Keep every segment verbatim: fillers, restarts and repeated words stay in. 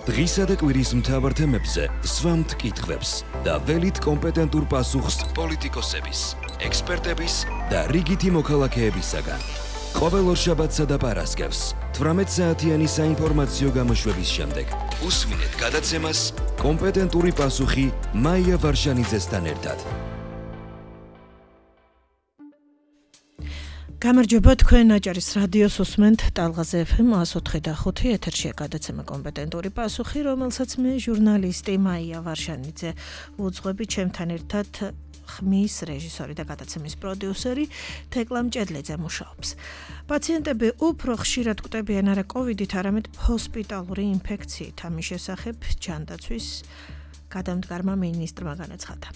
დღისა და კვირის მთავარ თემებზე სვამთ კითხვებს და ველით კომპეტენტურ პასუხს პოლიტიკოსების, ექსპერტების და რიგითი მოქალაქეებისაგან. ყოველ ორშაბათსა და პარასკევს თვრამეტ საათიანი საინფორმაციო გამოშვების შემდეგ უსმინეთ გადაცემას კომპეტენტური პასუხი მაია ვარშანიძესთან ერთად. გამარჯობა, თქვენ აჭარის რადიოს უსმენთ ტალღაზე ეფ ემ one oh four point five ეთერშია გადაცემა კომპეტენტური პასუხი, რომელსაც მე ჟურნალისტი მაია ვარშანიძე უძღვები, ჩემთან ერთად ხმის რეჟისორი და გადაცემის პროდიუსერი თეკლა მჭედლეძე მუშაობს. პაციენტები უფრო ხშირად კვდებიან არა კოვიდით, არამედ ჰოსპიტალური ინფექციით. ამის შესახებ ჯანდაცვის გადამდგარმა მინისტრმა განაცხადა.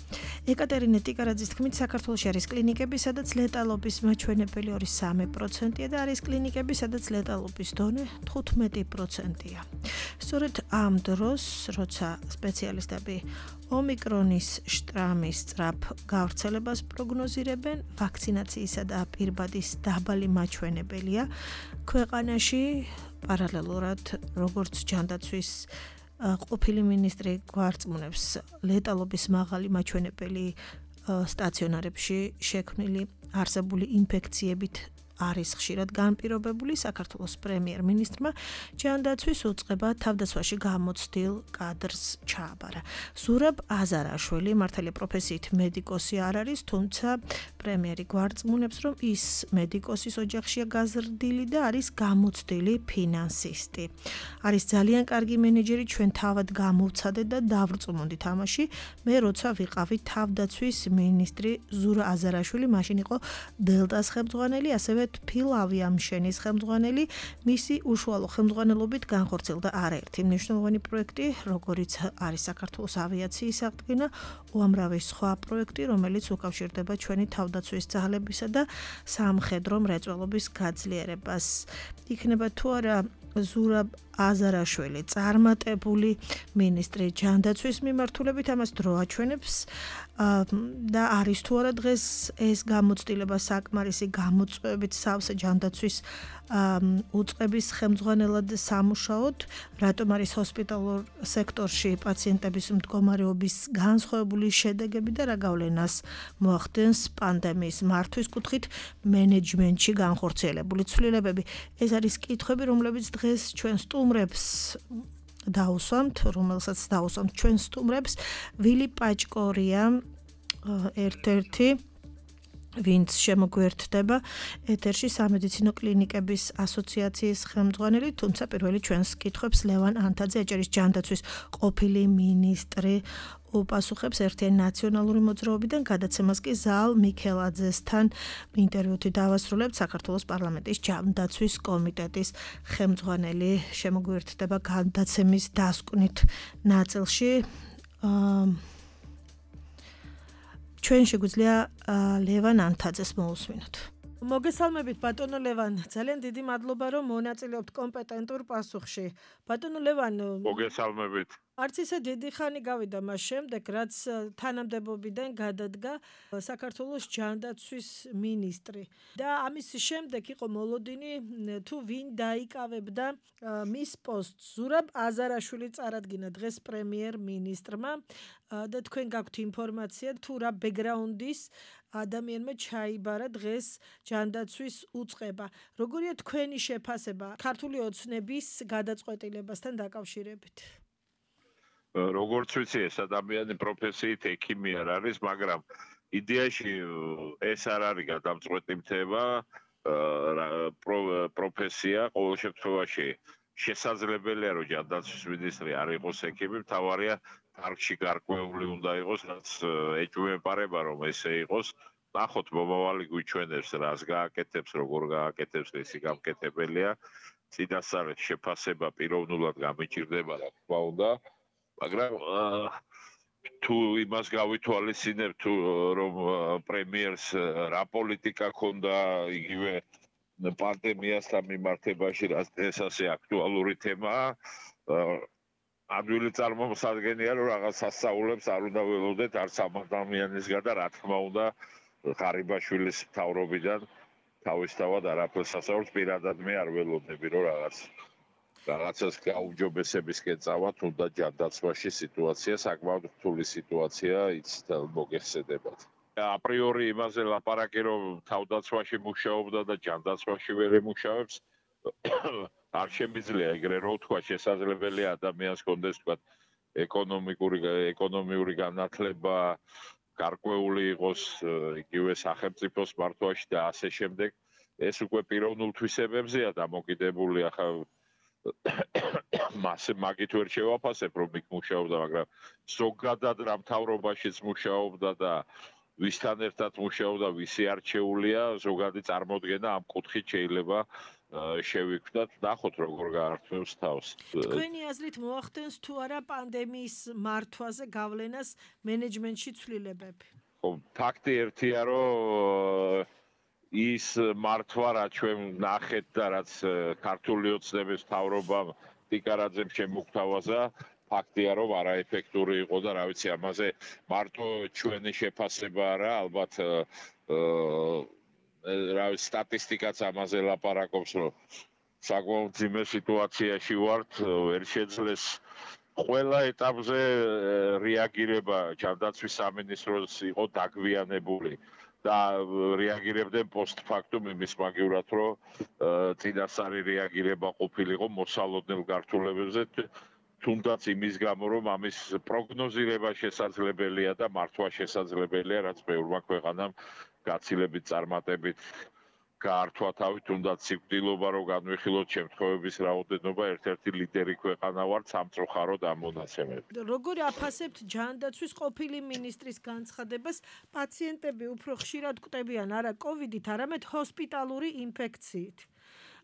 ეკატერინე ტიკარაძის თქმით, საქართველოში არის კლინიკები, სადაც ლეტალობის მაჩვენებელი ორი კoma სამი პროცენტია და არის კლინიკები, სადაც ლეტალობის დონე თხუთმეტი პროცენტია. სწორედ ამ დროს, როცა სპეციალისტები ომიკრონის შტამის სწრაფ გავრცელებას პროგნოზირებენ, ვაქცინაციისა და პირბადის დაბალი მაჩვენებელია ქვეყანაში, პარალელურად როგორც ჯანდაცვის ყოფილი მინისტრი გვარწმუნებს, ლეტალობის მაღალი მაჩვენებელი სტაციონარებში შექმნილი არსებული ინფექციებით არის ხშირად განპირობებული. საქართველოს პრემიერ-მინისტრმა ჯანდაცვის უწყება თავდაცვაში გამოცდილ კადრს ჩააბარა. ზურაბ აზარაშვილი მართალია პროფესიით მედიკოსი არ არის, თუმცა პრემიერი გვარწმუნებს, რომ ის მედიკოსის ოჯახშია გაზრდილი და არის გამოცდილი ფინანსისტი. არის ძალიან კარგი მენეჯერი, ჩვენ თავად გამოვცადეთ და დავრწმუნდით ამაში. მე როცა ვიყავი თავდაცვის მინისტრი ზურაბ აზარაშვილი, მაშინ იყო დელტას ხელმძღვანელი, ასევე ფილავი ამშენის ხელმძღვანელი, მისი უშუალო ხელმძღვანელობით განხორციელდა არაერთი მნიშვნელოვანი პროექტი, როგორიც არის საქართველოს ავიაციის აღდგენა, უამრავი სხვა პროექტი, რომელიც უკავშირდება ჩვენი თავდაცვის ძალებისა და სამხედრო მრეწველობის გაძლიერებას. იქნება თუ არა ზურაბ აზარაშვილი წარმატებული მინისტრი ჯანდაცვის მიმართულებით, ამას დრო აჩვენებს და არის თუ არა დღეს ეს გამოცდილება საკმარისი გამოწვევებით სავსე ჯანდაცვის უწყების ხელმძღვანელად სამუშაოდ, რატომ არის ჰოსპიტალურ სექტორში პაციენტების მდგომარეობის განსხვავებული შედეგები და რა გავლენას მოახდენს პანდემიის მართვის კუთხით მენეჯმენტში განხორციელებული ცვლილებები. ეს არის კითხვები, რომლებიც დღეს ჩვენ სტუმრებს დაუსვამთ, რომელსაც დაუსვამთ ჩვენ სტუმრებს. ვილი პაჭკორია ერთ-ერთი, ვინც შემოგვერთდება ეთერში, სამედიცინო კლინიკების ასოციაციის ხელმძღვანელი, თუმცა პირველი ჩვენს კითხვებს ლევან ანთაძე, აჭარის ჯანდაცვის ყოფილი მინისტრი, უპასუხებს ერთიანი ნაციონალური მოძრაობიდან. გადაცემას კი ზაალ მიქელაძესთან ინტერვიუთი დავასრულებთ. საქართველოს პარლამენტის ჯანდაცვის კომიტეტის ხელმძღვანელი შემოგვერთდება გადაცემის დასკვნით ნაწილში. ჩვენ შეგვიძლია ლევან ანთაძეს მოусმინოთ. მოგესალმებით ბატონო ლევან, ძალიან დიდი მადლობა რომ მონაწილეობთ კომპეტენტურ პასუხში. ბატონო ლევან, მოგესალმებით. არც ისე დიდი ხანი გავიდა მას შემდეგ, რაც თანამდებობიდან გადადგა საქართველოს ჯანდაცვის მინისტრი და ამის შემდეგ იყო მოლოდინი თუ ვინ დაიკავებდა მის პოსტს. ზურაბ აზარაშვილი წარადგინა დღეს პრემიერ-მინისტრმა და თქვენ გაქვთ ინფორმაცია თუ რა ბექგრაუნდის ადამიანმა ჩაიბარა დღეს ჯანდაცვის უწყება. როგორია თქვენი შეფასება ქართული ოცნების გადაწყვეტილებასთან დაკავშირებით? როგორც ვიცი, ეს ადამიანი პროფესიით ექიმი არ არის, მაგრამ იდეაში ეს არ არის გადამწყვეტი პროფესია. ყოველ შემთხვევაში შესაძლებელია, რომ ჯანდაცვის მინისტრი არ იყოს ექიმი, მთავარია დარგში გარკვეული უნდა იყოს, რაც ეჭვმეპარება რომ ესე იყოს. ნახოთ, მომავალი გვიჩვენებს, რას გააკეთებს, როგორ გააკეთებს, ისი გამკეთებელია. წინასწარ შეფასება პიროვნულად გამიჭირდება, რა თქმა უნდა. მაგრამ თუ იმას გავითვალისწინებ, თუ რომ პრემიერს რა პოლიტიკა ჰქონდა იგივე პანდემიასთან მიმართებაში, ეს ასე აქტუალური თემაა. ადვილი წარმომსადგენია, რომ რაღაც სასწაულებს არ უნდა ველოდეთ არც ამ ადამიანისგან და რა თქმა უნდა ღარიბაშვილის მთავრობიდან თავისთავად არაფერს სასწაულს პირადად მე არ ველოდები, რომ რაღაც რაღაცას გაუმჯობესებისკენ წავა, თუნდაც ჯანდაცვაში სიტუაცია საკმაოდ რთული სიტუაცია იცით მოგეხსენებათ. აპრიორი იმაზე ლაპარაკი რომ თავდაცვაში მუშაობდა და ჯანდაცვაში ვერ ემუშავებს არ შემიძლია ეგრე რომ თქვა შესაძლებელია ადამიანს კონდეს თქვა ეკონომიკური ეკონომიური განათლება გარკვეული იყოს იგივე სახელმწიფოს მართვაში და ასე შემდეგ ეს უკვე პიროვნულ თვისებებზეა დამოკიდებული ახლა მასე მაგით ვერ შევაფასებ რომ იქ მუშაობდა მაგრამ ზოგადად რა მთავრობაშიც მუშაობდა და ვისთან ერთად მუშაობდა ვისი არჩეულია ზოგადი წარმოდგენა ამ კუთხით შეიძლება შევიკვდათ ნახოთ როგორ გაართმევს თავს თქვენი აზრით მოახდენს თუ არა პანდემიის მართვაზე გავლენას მენეჯმენტში ცვლილებები ხო ფაქტი ერთია რომ ის მართვა რა ჩვენ ნახეთ და რაც ქართული ოცნების მთავრობამ ტიკარაძემ შემოგთავაზა ფაქტია რომ არაეფექტური იყო და რა ვიცი ამაზე მარტო ჩვენი შეფასება არა ალბათ რა სტატისტიკაც ამაზე ლაპარაკობს რომ საკმაოდ ძიმე სიტუაციაში ვართ ვერ შეძლეს ყველა ეტაპზე რეაგირება ჯანდაცვის სამინისტროს იყო დაგვიანებული და რეაგირებდნენ პოსტფაქტუმ იმის მაგივრად რომ წინასწარი რეაგირება ყოფილიყო მოსალოდნელ გართულებებზე თუნდაც იმის გამო რომ ამის პროგნოზირება შესაძლებელია და მართვა შესაძლებელია რაც ბევრმა ქვეყანამ გაცილებით წარმატებით გაართვა თავი თუნდაც სიკვდილობა რომ განვიხილოთ შემთხვევების რაოდენობა ერთ-ერთი ლიდერი ქვეყანა ვართ სამწუხაროდ ამ მონაცემებით. როგორ აფასებთ ჯანდაცვის ყოფილი მინისტრის განცხადებას პაციენტები უფრო ხშირად კვდებიან არა კოვიდით, არამედ ჰოსპიტალური ინფექციით.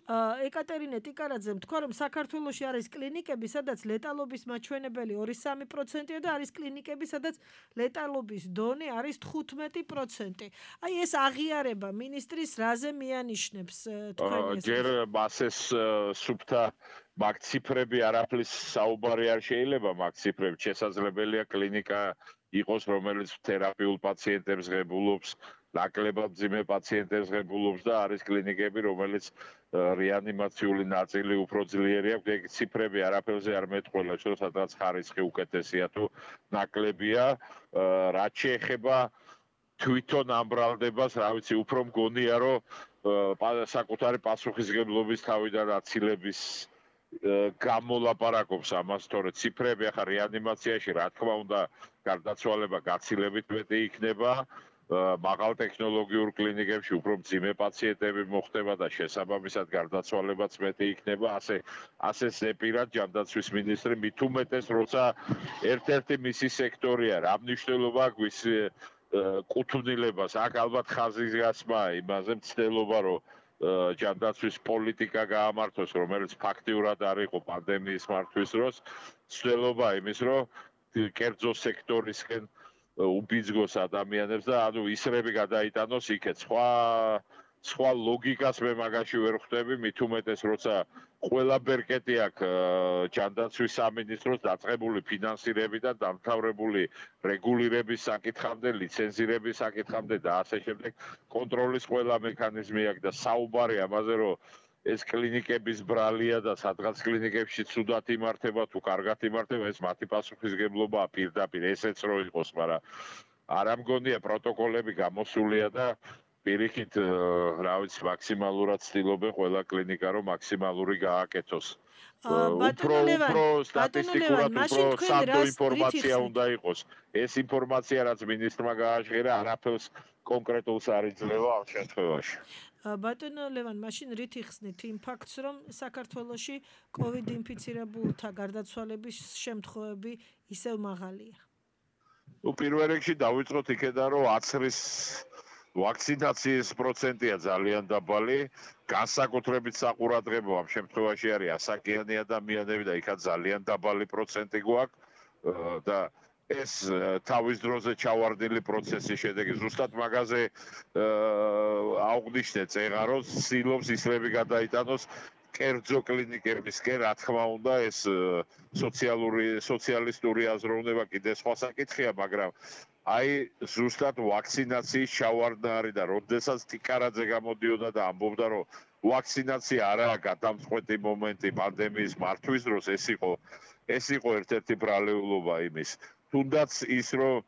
ეკატერინე ტიკარაძემ თქვა რომ საქართველოში არის კლინიკები, სადაც ლეტალობის მაჩვენებელი ორი სამი პროცენტია და არის კლინიკები, სადაც ლეტალობის დონე არის თხუთმეტი პროცენტი. აი ეს აღიარება მინისტრის რაზე მიანიშნებს თქვენ ეს? ჯერ მასეს სუფთა მაგ ციფრები არაფრის საუბარი არ შეიძლება მაგ ციფრები შესაძლებელია კლინიკა იყოს რომელიც თერაპიულ პაციენტებს ღებულობს ნაკლებად ძიმე პაციენტებს ღებულობს და არის კლინიკები რომელიც რეანიმაციული ნაწილი უფრო ძლიერი აქვს ეგ ციფრები არაფერზე არ მეტყველებს რომ სადღაც ხარისხი უკეთესია თუ ნაკლებია რაც შეეხება თვითონ ამ ბრალდებას რა ვიცი უფრო მგონია რომ საკუთარი პასუხისგებლობის თავიდან აცილების გამოლაპარაკობს ამას თორე ციფრები ახლა რეანიმაციაში რა თქმა უნდა გარდაცვალება გაცილებით მეტი იქნება მაღალ ტექნოლოგიურ კლინიკებში უფრო მძიმე პაციენტები მოხდება და შესაბამისად გარდაცვალებაც მეტი იქნება ასე ასე ზეპირად ჯანდაცვის მინისტრი მით უმეტეს როცა ერთ-ერთი მისი სექტორია რა მნიშვნელობა აქვს კუთვნილებას აქ ალბათ ხაზის გასმაა იმაზე მცდელობა რომ ჯანდაცვის პოლიტიკა გაამართოს რომელიც ფაქტიურად არ იყო პანდემიის მართვის დროს მცდელობა იმის რომ კერძო სექტორისკენ უბიძგოს ადამიანებს და ანუ ისრები გადაიტანოს იქეთ სხვა სხვა ლოგიკას მე მაგაში ვერ ხვდები მით უმეტეს როცა ყველა ბერკეტი აქვს ჯანდაცვის სამინისტროს დაწყებული ფინანსირები და დამთავრებული რეგულირების საკითხამდე ლიცენზირების საკითხამდე და ასე შემდეგ კონტროლის ყველა მექანიზმი აქვს და საუბარი ამაზე რომ ეს კლინიკების ბრალია და სადღაც კლინიკებში ცუდად იმართება თუ კარგად იმართება ეს მათი პასუხისგებლობაა პირდაპირ ესეც რო იყოს მაგრამ არ ამგონია პროტოკოლები გამოსულია და პირიქით რა ვიცი მაქსიმალურად ცდილობენ ყველა კლინიკა რომ მაქსიმალური გააკეთოს უფრო უფრო სტატისტიკურად უფრო სანდო ინფორმაცია უნდა იყოს ეს ინფორმაცია რაც მინისტრმა გააჟღერა არაფერს კონკრეტულს არ იძლევა ამ შემთხვევაში ბატონო ლევან, მაშინ რით იხსნით იმ ფაქტს, რომ საქართველოში კოვიდ ინფიცირებულთა გარდაცვალების შემთხვევები ისევ მაღალია? ნუ პირველ რიგში დავიწყოთ იქედან, რომ აცრის ვაქცინაციის პროცენტია ძალიან დაბალი, განსაკუთრებით საყურადღებო ამ შემთხვევაში არის ასაკიანი ადამიანები და იქაც ძალიან დაბალი პროცენტი გვაქვს და ეს თავის დროზე ჩავარდნილი პროცესის შედეგი ზუსტად მაგაზე აღვნიშნეთ წეღა რომ ცდილობს ისრები გადაიტანოს კერძო კლინიკებისკენ რა თქმა უნდა ეს სოციალური სოციალისტური აზროვნება კიდე სხვა საკითხია მაგრამ აი ზუსტად ვაქცინაციის ჩავარდნა არის და როდესაც ტიკარაძე გამოდიოდა და ამბობდა რომ ვაქცინაცია არაა გადამწყვეტი მომენტი პანდემიის მართვის დროს, ეს იყო ეს იყო ერთ-ერთი ბრალეულობა იმის. თუნდაც ის რომ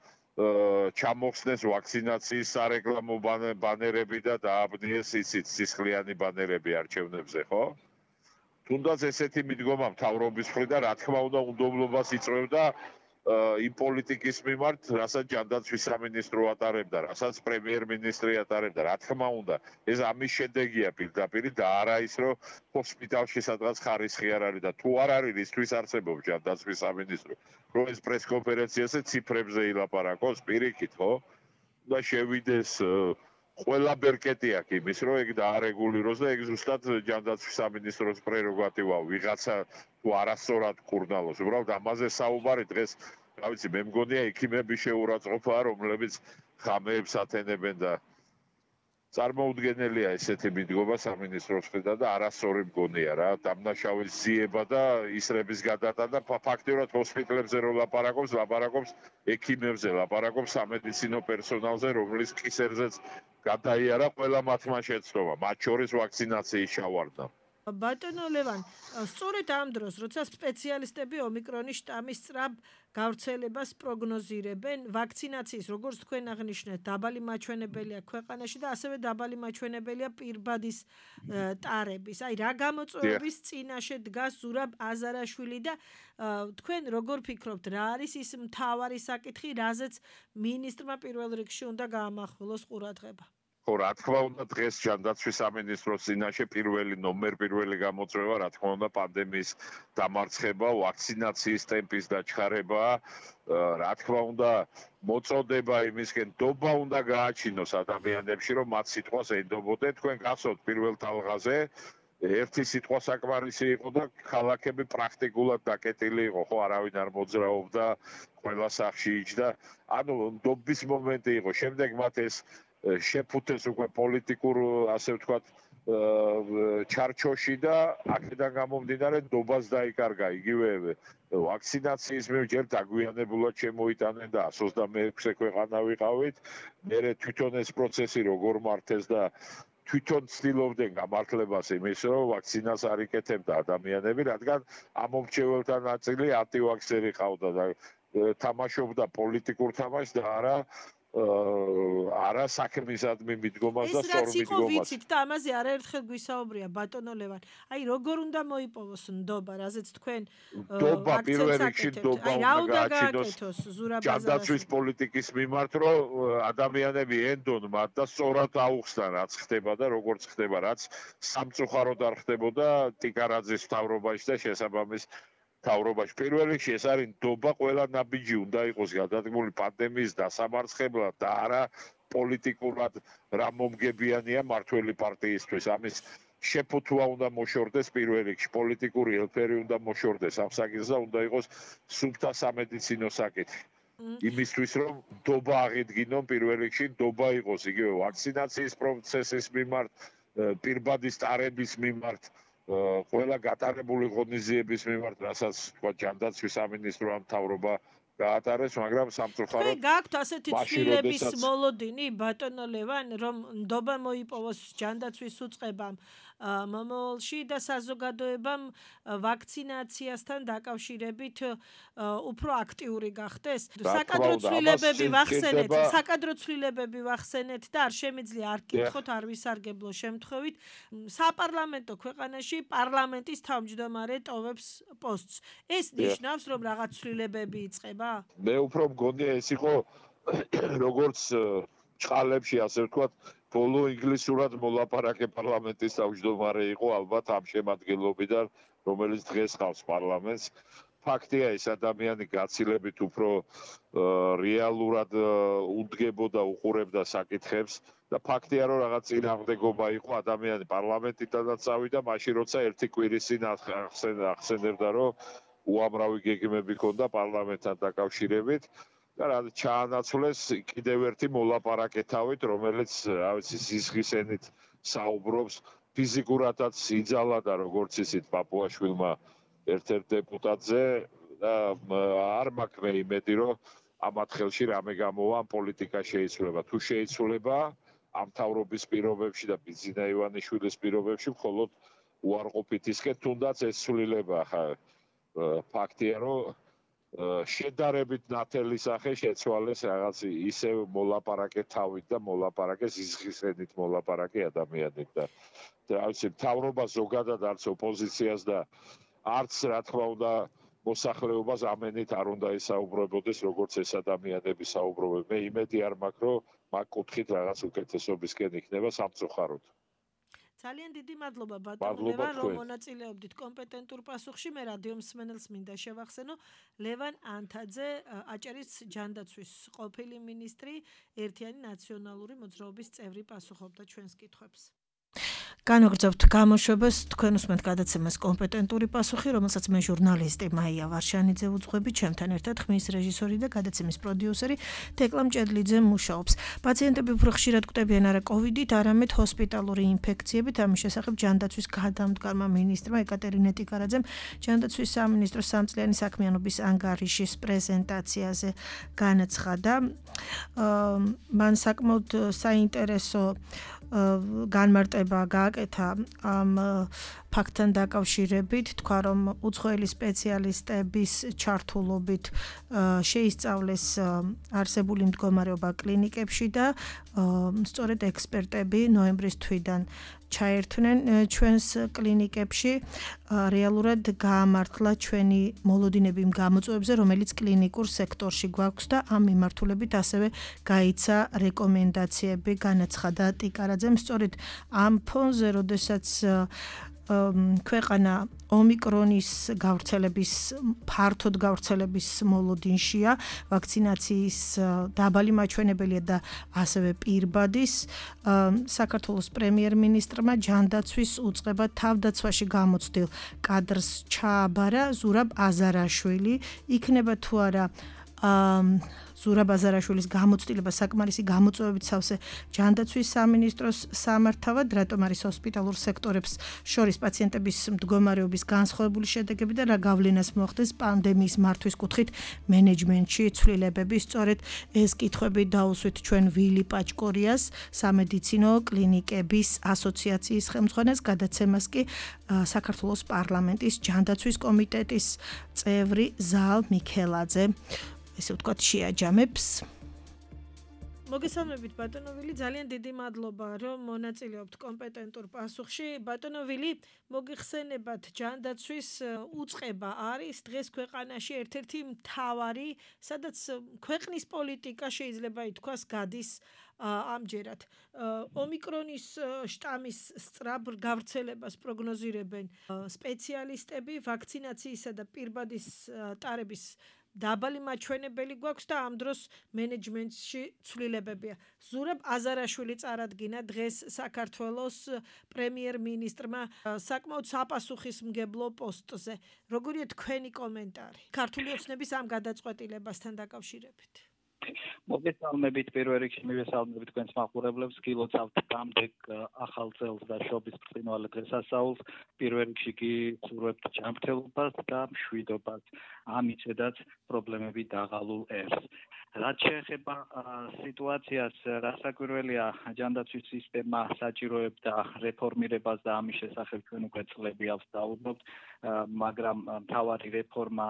ჩამოხსნეს ვაქცინაციის სარეკლამო ბანერები და დააბნიეს იცით სისხლიანი ბანერები არჩევნებზე, ხო? თუნდაც ესეთი მიდგომა მთავრობის მხრიდან, რა თქმა უნდა, უნდობლობას იწვევდა იმ პოლიტიკის მიმართ, რასაც ჯანდაცვის სამინისტრო ატარებდა, რასაც პრემიერ-მინისტრი ატარებდა, რა თქმა უნდა, ეს ამის შედეგია პირდაპირ და არა ის, რომ ჰოსპიტალში სადღაც ხარისხი არ არის და თუ არ არის რისთვის არსებობს ჯანდაცვის სამინისტრო, რომ ეს პრესკონფერენციაზე ციფრებზე ილაპარაკოს პირიქით, ხო? და შევიდეს ყველა ბერკეტი აქვს იმის, რომ ეგ დაარეგულიროს და ეგ ზუსტად ჯანდაცვის სამინისტროს პრეროგატივაა, ვიღაცა თუ არასწორად კურნალოს. უბრალოდ ამაზე საუბარი დღეს, რა ვიცი, მე მგონია ექიმების შეურაცხყოფაა, რომლებიც ხამეებს ათენებენ და წარმოუდგენელია ესეთი მიდგომა სამინისტროს მხრიდან და არასწორი მგონია რა, დამნაშავის ძიება და ისრების გადატანა ფაქტიურად ჰოსპიტალებზე რო ლაპარაკობს, ლაპარაკობს ექიმებზე, ლაპარაკობს სამედიცინო პერსონალზე, რომლის კისერზეც გადაიარა ყველა მათმა შეცდომა, მათ შორის ვაქცინაციის ჩავარდნა. ბატონო ლევან, სწორედ ამ დროს, როცა სპეციალისტები ომიკრონის შტამის სწრაფ გავრცელებას პროგნოზირებენ, ვაქცინაციის, როგორც თქვენ აღნიშნეთ, დაბალი მაჩვენებელია ქვეყანაში და ასევე დაბალი მაჩვენებელია პირბადის ტარების. აი, რა გამოწვევების წინაშე დგას ზურაბ აზარაშვილი და თქვენ როგორ ფიქრობთ, რა არის ის მთავარი საკითხი, რაზეც მინისტრმა პირველ რიგში უნდა გაამახვილოს ყურადღება? ხო, რა თქმა უნდა, დღეს ჯანდაცვის სამინისტროს წინაშე პირველი ნომერ პირველი გამოწვევა, რა თქმა უნდა, პანდემიის დამარცხება, ვაქცინაციის ტემპის დაჩქარება, რა თქმა უნდა, მოწოდება იმისკენ, ნდობა უნდა გააჩინოს ადამიანებში, რომ მათ სიტყვას ენდობოდნენ. თქვენ გახსოვთ პირველ თალღაზე, ერთი სიტყვა საკმარისი იყო და ქალაქები პრაქტიკულად დაკეტილი იყო, ხო, არავინ არ მოძრაობდა, ყველა სახლში იჯდა. ანუ ნდობის მომენტი იყო. შემდეგ მათ ეს შეფუთეს უკვე პოლიტიკურ, ასე ვთქვათ, ჩარჩოში და აქედან გამომდინარე ნდობას დაიკარგა იგივე ვაქცინაციის მიერ ჯერ დაგვიანებულად შემოიტანენ და εκατს ოცდამეექვსე ქვეყანა ვიყავით. მერე თვითონ ეს პროცესი როგორ მართეს და თვითონ ცდილობდნენ გამართლებას იმის, რომ ვაქცინას არ იკეთებდა ადამიანები, რადგან ამომრჩეველთა ნაწილი ანტივაქსერი ყავდა და თამაშობდა პოლიტიკურ თამაშს და არა არა საქმისადმი მიდგომას და სწორ მიდგომას. ეს რაც იყო ვიცით და ამაზე არაერთხელ გვისაუბრია ბატონო ლევან. აი როგორ უნდა მოიპოვოს ნდობა, რაზეც თქვენ ნდობა პირველ რიგში ნდობა უნდა გააჩინოს ჯანდაცვის პოლიტიკის მიმართ, რომ ადამიანები ენდონ მათ და სწორად აუხსნან რაც ხდება და როგორც ხდება, რაც სამწუხაროდ არ ხდებოდა ტიკარაძის მთავრობაში და შესაბამის მთავრობაში. პირველ რიგში ეს არის ნდობა, ყველა ნაბიჯი უნდა იყოს გადადგმული პანდემიის დასამარცხებლად და არა პოლიტიკურად რა მომგებიანია მართველი პარტიისთვის. ამის შეფუთვა უნდა მოშორდეს პირველ რიგში, პოლიტიკური ელფერი უნდა მოშორდეს ამ საკითხს და უნდა იყოს სუფთა სამედიცინო საკითხი. იმისთვის რომ ნდობა აღიდგინონ პირველ რიგში, ნდობა იყოს იგივე ვაქცინაციის პროცესის მიმართ, პირბადის ტარების მიმართ, ყველა გატარებული ღონისძიების მიმართ, რასაც თქვა ჯანდაცვის სამინისტრო ამ მთავრობა გაატარეს, მაგრამ სამწუხაროდ თქვენ გაქვთ ასეთი ცვლილების მოლოდინი, ბატონო ლევან, რომ ნდობა მოიპოვოს ჯანდაცვის უწყებამ მომავალში და საზოგადოებამ ვაქცინაციასთან დაკავშირებით უფრო აქტიური გახდეს. საკადრო ცვლილებები ვახსენეთ, საკადრო ცვლილებები ვახსენეთ და არ შემიძლია არ გკითხოთ, არ ვისარგებლო შემთხვევით. საპარლამენტო ქვეყანაში პარლამენტის თავმჯდომარე ტოვებს პოსტს. ეს ნიშნავს, რომ რაღაც ცვლილებები იწყება? მე უფრო მგონია ეს იყო როგორც ჭყალებში, ასე ვთქვათ, ბოლო ინგლისურად მოლაპარაკე პარლამენტის თავმჯდომარე იყო ალბათ ამ შემადგენლობიდან, რომელიც დღეს ხავს პარლამენტს. ფაქტია, ეს ადამიანი გაცილებით უფრო რეალურად უდგებოდა, უყურებდა საკითხებს და ფაქტია, რომ რაღაც წინააღმდეგობა იყო ადამიანი პარლამენტიდანაც წავიდა, მაშინ როცა ერთი კვირის წინ ახსენებდა, რომ უამრავი გეგმები ჰქონდა პარლამენტთან დაკავშირებით და რა ჩაანაცვლეს კიდევ ერთი მოლაპარაკე თავით, რომელიც, რა ვიცი, სისხლისენით საუბრობს, ფიზიკურადაც იძალა და როგორც ისეთ პაპუაშვილმა ერთ-ერთ დეპუტატზე და არ მაქვს მე იმედი, რომ ამათ ხელში რამე გამოვა, ამ პოლიტიკა შეიცვლება. თუ შეიცვლება, ამ თავრობის პირობებში და ბიძინა ივანიშვილის პირობებში მხოლოდ უარყოფით ისკენ, თუნდაც ეს ცვლილება ხა ფაქტია, რომ შედარებით ნათელი სახე შეცვალეს რაღაც ისევ მოლაპარაკე თავით და მოლაპარაკე ზიზღისენით მოლაპარაკე ადამიანით და რა ვიცი, თავრობა ზოგადად არც ოპოზიციას და არც რა თქმა უნდა მოსახლეობას ამენით არ უნდა ისაუბრებოდეს, როგორც ეს ადამიანები საუბრობენ. მე იმედი არ მაქვს, რომ მაგ კუთხით რაღაც უკეთესობისკენ იქნება სამწუხაროდ. ძალიან დიდი მადლობა ბატონო ლევან, რომ მონაწილეობდით კომპეტენტურ პასუხში. მე რადიო მსმენელს მინდა შევახსენო, ლევან ანთაძე, აჭარის ჯანდაცვის ყოფილი მინისტრი, ერთიანი ნაციონალური მოძრაობის წევრი, პასუხობდა ჩვენს კითხვებს. განაგრძობთ გამოშვებას, თქვენ უსმენთ გადაცემას კომპეტენტური პასუხი, რომელსაც მე ჟურნალისტი მაია ვარშანიძე უძღვები, ჩემთან ერთად ხმის რეჟისორი და გადაცემის პროდიუსერი თეკლა მჭედლიძე მუშაობს. პაციენტები უფრო ხშირად კვდებიან არა კოვიდით, არამედ ჰოსპიტალური ინფექციებით. ამის შესახებ ჯანდაცვის გადამდგარმა მინისტრმა ეკატერინე ტიკარაძემ ჯანდაცვის სამინისტროს სამწლიანი საქმიანობის ანგარიშის პრეზენტაციაზე განაცხადა. მან საკმაოდ საინტერესო განმარტება გააკეთა ამ ფაქტთან დაკავშირებით, თქვა რომ უცხოელი სპეციალისტების ჩართულობით შეისწავლეს არსებული მდგომარეობა კლინიკებში და სწორედ ექსპერტები ნოემბრის თვიდან ჩაერთვნენ ჩვენს კლინიკებში, რეალურად გაამართლა ჩვენი მოლოდინები იმ გამოწვევებზე, რომელიც კლინიკურ სექტორში გვაქვს და ამ მიმართულებით ასევე გაიცა რეკომენდაციები, განაცხადა ტიკარაძემ. სწორედ ამ ფონზე, როდესაც ქვეყანა ომიკრონის გავრცელების ფართოდ გავრცელების მოლოდინშია, ვაქცინაციის დაბალი მაჩვენებელია და ასევე პირბადის, საქართველოს პრემიერ-მინისტრმა ჯანდაცვის უწყება თავდაცვაში გამოცდილ კადრს ჩააბარა ზურაბ აზარაშვილი. იქნება თუ არა ზურაბ აზარაშვილის გამოცდილება საკმარისი გამოწვევებით სავსე ჯანდაცვის სამინისტროს სამართავად, რატომ არის ჰოსპიტალურ სექტორებს შორის პაციენტების მდგომარეობის განსხვავებული შედეგები და რა გავლენას მოახდენს პანდემიის მართვის კუთხით მენეჯმენტში ცვლილებები. სწორედ ეს კითხვები დაუსვით ჩვენ ვილი პაჭკორიას, სამედიცინო კლინიკების ასოციაციის ხელმძღვანელს, გადაცემას კი საქართველოს პარლამენტის ჯანდაცვის კომიტეტის წევრი ზაალ მიქელაძე ესე ვთქვათ შეაჯამებს. მოგესალმებით ბატონო ვილი, ძალიან დიდი მადლობა რომ მონაწილეობთ კომპეტენტურ პასუხში. ბატონო ვილი, მოგიხსენებათ ჯანდაცვის უწყება არის დღეს ქვეყანაში ერთ-ერთი მთავარი, სადაც ქვეყნის პოლიტიკა შეიძლება ითქვას გადის ამჯერად. ომიკრონის შტამის სწრაფ გავრცელებას პროგნოზირებენ სპეციალისტები, ვაქცინაციისა და პირბადის ტარების დაბალი მაჩვენებელი გვაქვს და ამ დროს მენეჯმენტში ცვლილებებია. ზურაბ აზარაშვილი წარადგინა დღეს საქართველოს პრემიერ-მინისტრმა საკმაოდ საპასუხისმგებლო პოსტზე. როგორია თქვენი კომენტარი ქართული ოცნების ამ გადაწყვეტილებასთან დაკავშირებით? მოგესალმებით, პირველ რიგში მივესალმებით თქვენს მაყურებლებს, გილოცავთ გამდექ ახალ წელს და შობის ბრწყინვალე დღესასწაულს. პირველ რიგში კი ვსურვებთ ჯანმრთელობას და მშვიდობას, ამიცედაც პრობლემები დაღალულ ერს. რაც შეეხება სიტუაციას, რასაკვირველია, ჯანდაცვის სისტემა საჭიროებდა რეფორმირებას და ამის შესახებ ჩვენ უკვე წლები ავსაუბრობთ, მაგრამ მთავარი რეფორმა,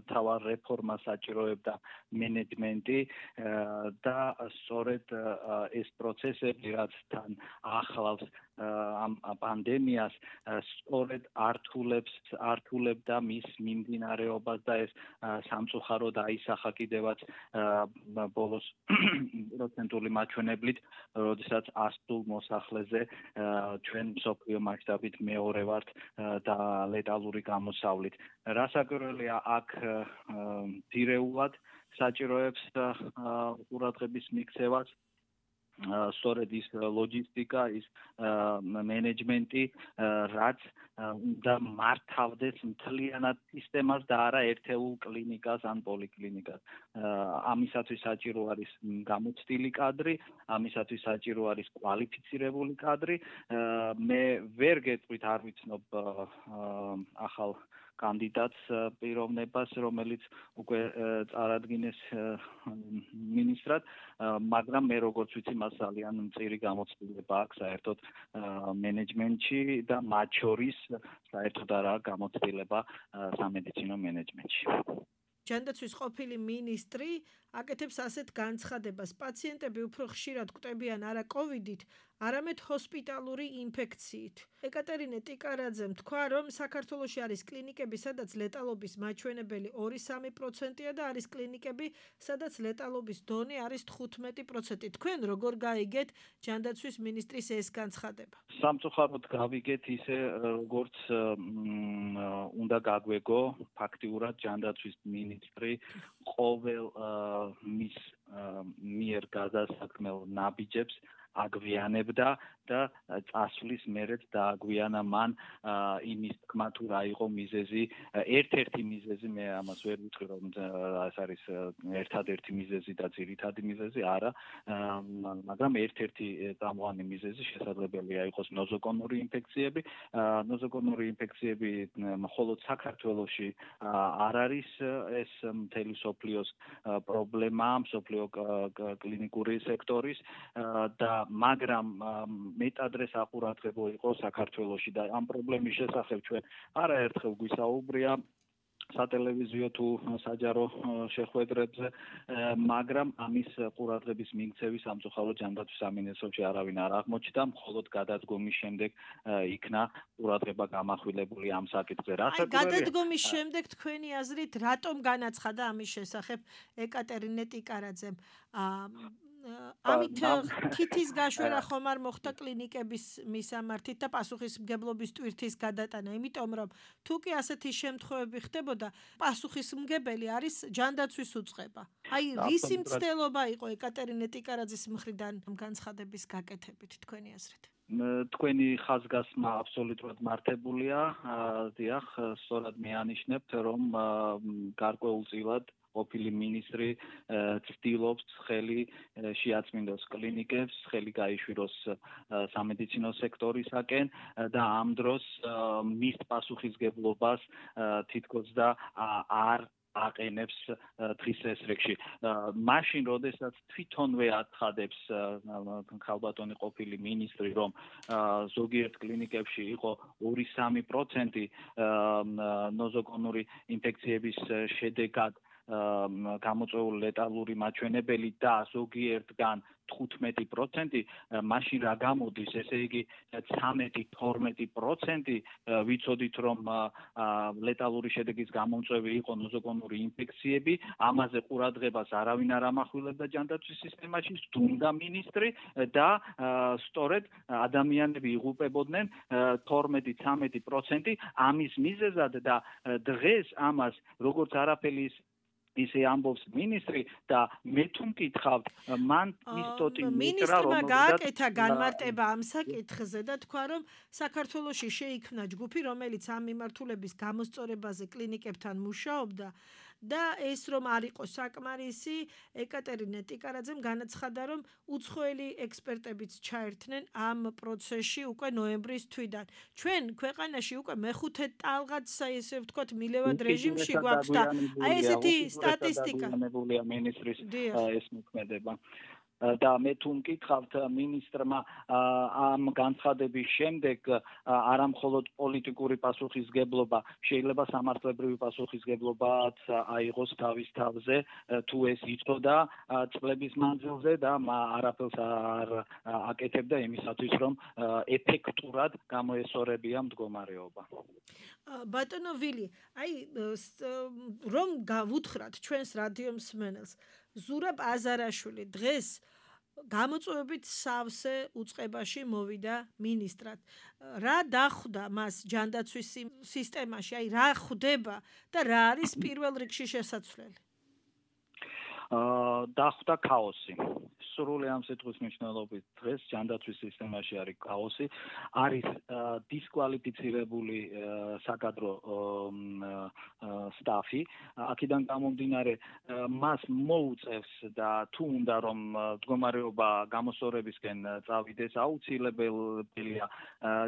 მთავარ რეფორმას საჭიროებდა მენეჯმენტი და სწორედ ეს პროცესები, რაც თან ახლავს ამ პანდემიას, სწორედ ართულებს ართულებდა მის მიმდინარეობას და ეს სამწუხაროდ აისახა კიდევაც ბოლოს პროცენტული მაჩვენებლით, როდესაც ასულ მოსახლეზე ჩვენ მსოფლიო მასშტაბით მეორე ვართ და ლეტალური გამოსავლით. რასაკვირველია, აქ ძირეულად საჭიროებს ყურადღების მიქცევას სწორედ ის ლოჯისტიკა, ის მენეჯმენტი, რაც უნდა მართავდეს მთლიანად სისტემას და არა ერთეულ კლინიკას ან პოლიკლინიკას. ამისათვის საჭირო არის გამოცდილი კადრი, ამისათვის საჭირო არის კვალიფიცირებული კადრი. მე ვერ გეტყვით, არ ვიცნობ ახალ კანდიდატს პიროვნებას, რომელიც უკვე წარადგინეს მინისტრად, მაგრამ მე როგორც ვიცი, მას ძალიან მწირი გამოცდილება აქვს საერთოდ მენეჯმენტში და მათ შორის საერთოდ არაა გამოცდილება სამედიცინო მენეჯმენტში. ჯანდაცვის ყოფილი მინისტრი აკეთებს ასეთ განცხადებას: პაციენტები უფრო ხშირად კვდებიან არა კოვიდით, არამედ ჰოსპიტალური ინფექციით. ეკატერინე ტიკარაძემ თქვა, რომ საქართველოში არის კლინიკები, სადაც ლეტალობის მაჩვენებელი ორი სამი პროცენტია და არის კლინიკები, სადაც ლეტალობის დონე არის თხუთმეტი პროცენტი. თქვენ როგორ გაიგეთ ჯანდაცვის მინისტრის ეს განცხადება? სამწუხაროდ გავიგეთ ისე, როგორც უნდა გაგვეგო ფაქტიურად ჯანდაცვის მინისტრი ყოველ მის მიერ გადასაქმელ ნაბიჯებს აგვიანებდა და წასვლის მერეც დააგვიანა მან იმის თქმა თუ რა იყო მიზეზი, ერთ-ერთი მიზეზი, მე ამას ვერ ვიტყვი, რომ ეს არის ერთადერთი მიზეზი და ძირითადი მიზეზი, არა, მაგრამ ერთ-ერთი წამყვანი მიზეზი შესაძლებელია იყოს ნოზოგონური ინფექციები. ნოზოგონური ინფექციები მხოლოდ საქართველოში არ არის ეს მთელი სოფლიოს პრობლემა, სოფლიო კლინიკური სექტორის და მაგრამ მეტადრე საყურადღებო იყო საქართველოში და ამ პრობლემის შესახებ ჩვენ არაერთხელ გვისაუბრია სატელევიზიო თუ საჯარო შეხვედრებზე, მაგრამ ამის ყურადღების მიქცევის სამწუხაროდ ჯანდაცვის სამინისტროში არავინ არ აღმოჩნდა, მხოლოდ გადადგომის შემდეგ იქნა ყურადღება გამახვილებული ამ საკითხზე. აი, გადადგომის შემდეგ თქვენი აზრით რატომ განაცხადა ამის შესახებ ეკატერინე ტიკარაძემ? ამით თითის გაშვერა ხომ არ მოხდა კლინიკების მისამართით და პასუხისმგებლობის ტვირთის გადატანა, იმიტომ რომ თუ კი ასეთი შემთხვევები ხდებოდა, პასუხისმგებელი არის ჯანდაცვის უწყება. აი, რისი მცდელობა იყო ეკატერინე ტიკარაძის მხრიდან განცხადების გაკეთებით თქვენი აზრით? თქვენი ხაზგასმა აბსოლუტურად მართებულია. დიახ, სწორად მეანიშნებთ, რომ გარკვეულწილად ყოფილი მინისტრი ცდილობს ხელი შეაწმინდოს კლინიკებს, ხელი გაიშვიროს სამედიცინო სექტორისაკენ და ამ დროს მის პასუხისგებლობას თითქოს და არ აყენებს დღის ესრეგში. მაშინ, როდესაც თვითონვე აცხადებს ქალბატონი ყოფილი მინისტრი, რომ ზოგიერთ კლინიკებში იყო ორი სამი პროცენტი ნოზოგონური ინფექციების შედეგად გამოწვეული ლეტალური მაჩვენებელი და ზოგიერთგან თხუთმეტი პროცენტი, მაშინ რა გამოდის, ესე იგი ცამეტი თორმეტი პროცენტი ვიცოდით, რომ ლეტალური შედეგის გამომწვევი იყო ნოზოგონური ინფექციები, ამაზე ყურადღებას არავინ არ ამახვილებდა ჯანდაცვის სისტემაში, სდუმდა მინისტრი და სწორედ ადამიანები იღუპებოდნენ თორმეტი ცამეტი პროცენტი ამის მიზეზად და დღეს ამას როგორც არაფერი ისე ამბობს მინისტრი და მე თუ მკითხავთ, მან ისტოტი მინისტრმა გააკეთა განმარტება ამ საკითხზე და თქვა, რომ საქართველოში შეიქმნა ჯგუფი, რომელიც ამ მიმართულების გამოსწორებაზე კლინიკებთან მუშაობდა და ეს რომ არ იყო საკმარისი, ეკატერინე ტიკარაძემ განაცხადა, რომ უცხოელი ექსპერტებიც ჩაერთნენ ამ პროცესში უკვე ნოემბრის თვიდან. ჩვენ ქვეყანაში უკვე მეხუთე ტალღაც, ესე ვთქვათ, მილევად რეჟიმში გვაქვს და აი ესეთი სტატისტიკა. მინისტრის ეს მოქმედება. და მე თუ მკითხავთ მინისტრმა ამ განცხადების შემდეგ არა მხოლოდ პოლიტიკური პასუხისგებლობა, შეიძლება სამართლებრივი პასუხისგებლობაც აიღოს თავის თავზე, თუ ეს იცოდა წლების მანძილზე და არაფერს არ აკეთებდა იმისათვის, რომ ეფექტურად გამოესწორებია მდგომარეობა. ბატონო ვილი, აი რომ გავუთხრათ ჩვენს რადიო მსმენელს, ზურაბ აზარაშვილი დღეს გამოწვევებით სავსე უწყებაში მოვიდა მინისტრად. რა დახვდა მას ჯანდაცვის სისტემაში, აი რა ხვდება და რა არის პირველ რიგში შესაძლებელი? დახვდა ქაოსი. სრული ამ სიტყვის მნიშვნელობით დღეს ჯანდაცვის სისტემაში არის ქაოსი, არის დისკვალიფიცირებული საკადრო სტაფი, აქედან გამომდინარე მას მოუწევს და თუ უნდა რომ მდგომარეობა გამოსწორებისკენ წავიდეს, აუცილებელია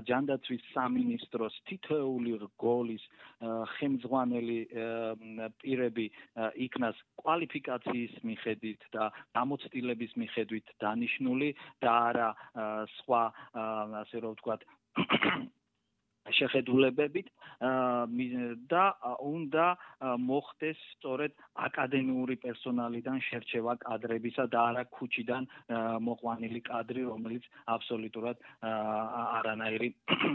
ჯანდაცვის სამინისტროს თითოეული რგოლის ხელმძღვანელი პირები იქნას კვალიფიკაციის მიხედვით და გამოცდილების მიხედვით დანიშნული და არა სხვა ასე რომ ვთქვათ შეხედულებებით და უნდა მოხდეს სწორედ აკადემიური პერსონალიდან შერჩევა კადრებისა და არა ქუჩიდან მოყვანილი კადრი, რომელიც აბსოლუტურად არანაირი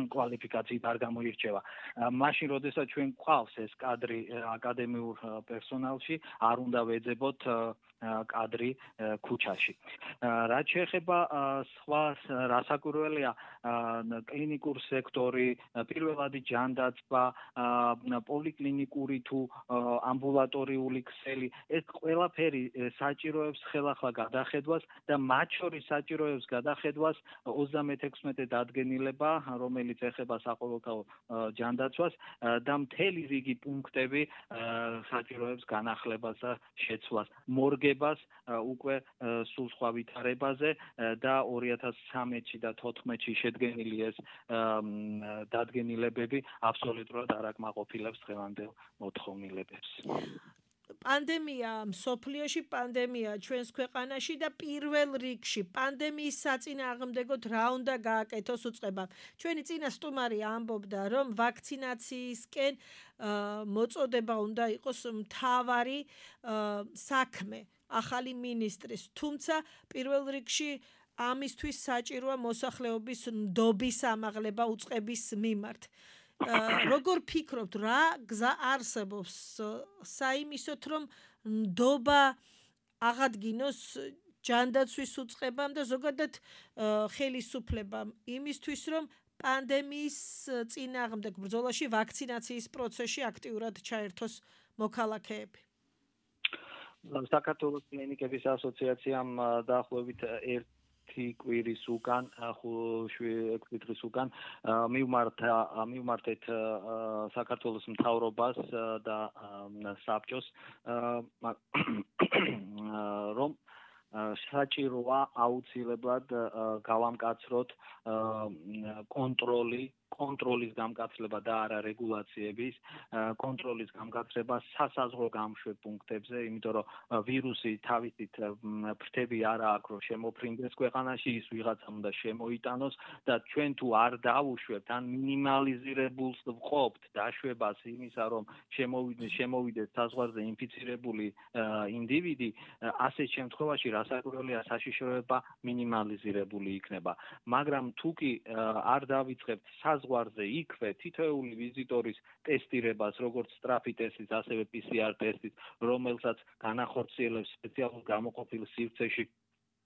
კვალიფიკაციით არ გამოირჩევა. მაშინ, როდესაც ჩვენ გვყავს ეს კადრი აკადემიურ პერსონალში, არ უნდა ვეძებოთ კადრი ქუჩაში. რაც შეეხება სხვა რასაკვირველია კლინიკურ სექტორი, პირველადი ჯანდაცვა, პოლიკლინიკური თუ ამბულატორიული ქსელი, ეს ყველაფერი საჭიროებს ხელახლა გადახედვას და მათ შორის საჭიროებს გადახედვას ოცდამეთექვსმეტე დადგენილება, რომელიც ეხება საყოველთაო ჯანდაცვას და მთელი რიგი პუნქტები საჭიროებს განახლებას და შეცვლას. მორგებას უკვე სულ სხვა ვითარებაზე და ორი ათას ცხრამეტში და თოთხმეტში შედგენილი ეს დადგენილებები აბსოლუტურად არ აკმაყოფილებს დღევანდელ მოთხოვნილებებს. პანდემია მსოფლიოში, პანდემია ჩვენს ქვეყანაში და პირველ რიგში პანდემიის საწინააღმდეგოდ რა უნდა გააკეთოს უწყებამ. ჩვენი წინა სტუმარი ამბობდა, რომ ვაქცინაციისკენ მოწოდება უნდა იყოს მთავარი საქმე ახალი მინისტრის, თუმცა პირველ რიგში ამისთვის საჭიროა მოსახლეობის ნდობის ამაღლება უწყების მიმართ. როგორ ფიქრობთ, რა გზა არსებობს საიმისოთ, რომ ნდობა აღადგინოს ჯანდაცვის უწყებამ და ზოგადად ხელისუფლებამ იმისთვის, რომ პანდემიის წინააღმდეგ ბრძოლაში ვაქცინაციის პროცესში აქტიურად ჩაერთოს მოქალაქეები? საქართველოს კლინიკების ასოციაციამ დაახლოებით ერთი კვირის უკან, ექვსი დღის უკან მივმართა მივმართეთ საქართველოს მთავრობას და საბჭოს, რომ საჭიროა აუცილებლად გავამკაცროთ კონტროლი კონტროლის გამკაცრება და არა რეგულაციების კონტროლის გამკაცრება სასაზღვრო გამშვებ პუნქტებზე, იმიტომ რომ ვირუსი თავისით ფრთები არ აქვს, რომ შემოფრინდეს ქვეყანაში, ის ვიღაცამ უნდა შემოიტანოს და ჩვენ თუ არ დავუშვებთ ან მინიმალიზირებულს ვყოფთ დაშვებას იმისა, რომ შემოვიდეს შემოვიდეს საზღვარზე ინფიცირებული ინდივიდი, ასეთ შემთხვევაში რასაკვირველია საშიშროება მინიმალიზირებული იქნება. მაგრამ თუ კი არ დავიწყებთ საზღვარზე იქვე თითოეული ვიზიტორის ტესტირებას, როგორც სწრაფი ტესტის, ასევე პი სი არ ტესტის, რომელსაც განახორციელებს სპეციალურ გამოყოფილ სივრცეში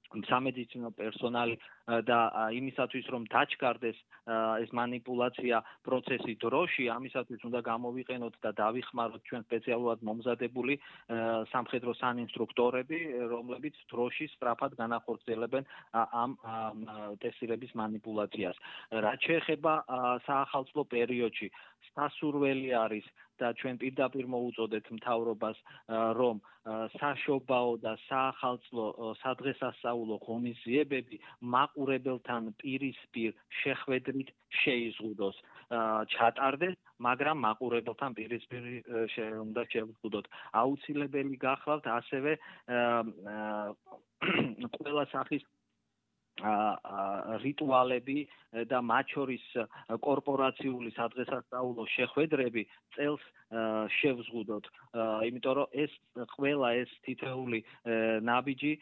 სამედიცინო პერსონალი და იმისათვის, რომ დაჩქარდეს ეს манипуляცია პროცესი დროში, ამისათვის უნდა გამოვიყენოთ და დავიხმაროთ ჩვენ სპეციალურად მომზადებული სამხედრო სანინსტრუქტორები, რომლებიც დროში სწრაფად განახორციელებენ ამ ტესტირების манипуляციას. რაც შეეხება საახალწლო პერიოდში, სასურველი არის და ჩვენ პირდაპირ მოუწოდეთ მთავრობას, რომ საშობაო და საახალწლო სადღესასწაულო ღონისძიებები მაყურებელთან პირისპირ შეხვედრით შეიზღუდოს, ჩატარდეს, მაგრამ მაყურებელთან პირისპირ უნდა შევზღუდოთ. აუცილებელი გახლავთ ასევე ყველა სახის რიტუალები და მათ შორის კორპორაციული სადღესასწაულო შეხვედრები წელს შევზღუდოთ, იმიტომ რომ ეს ყველა ეს თითოეული ნაბიჯი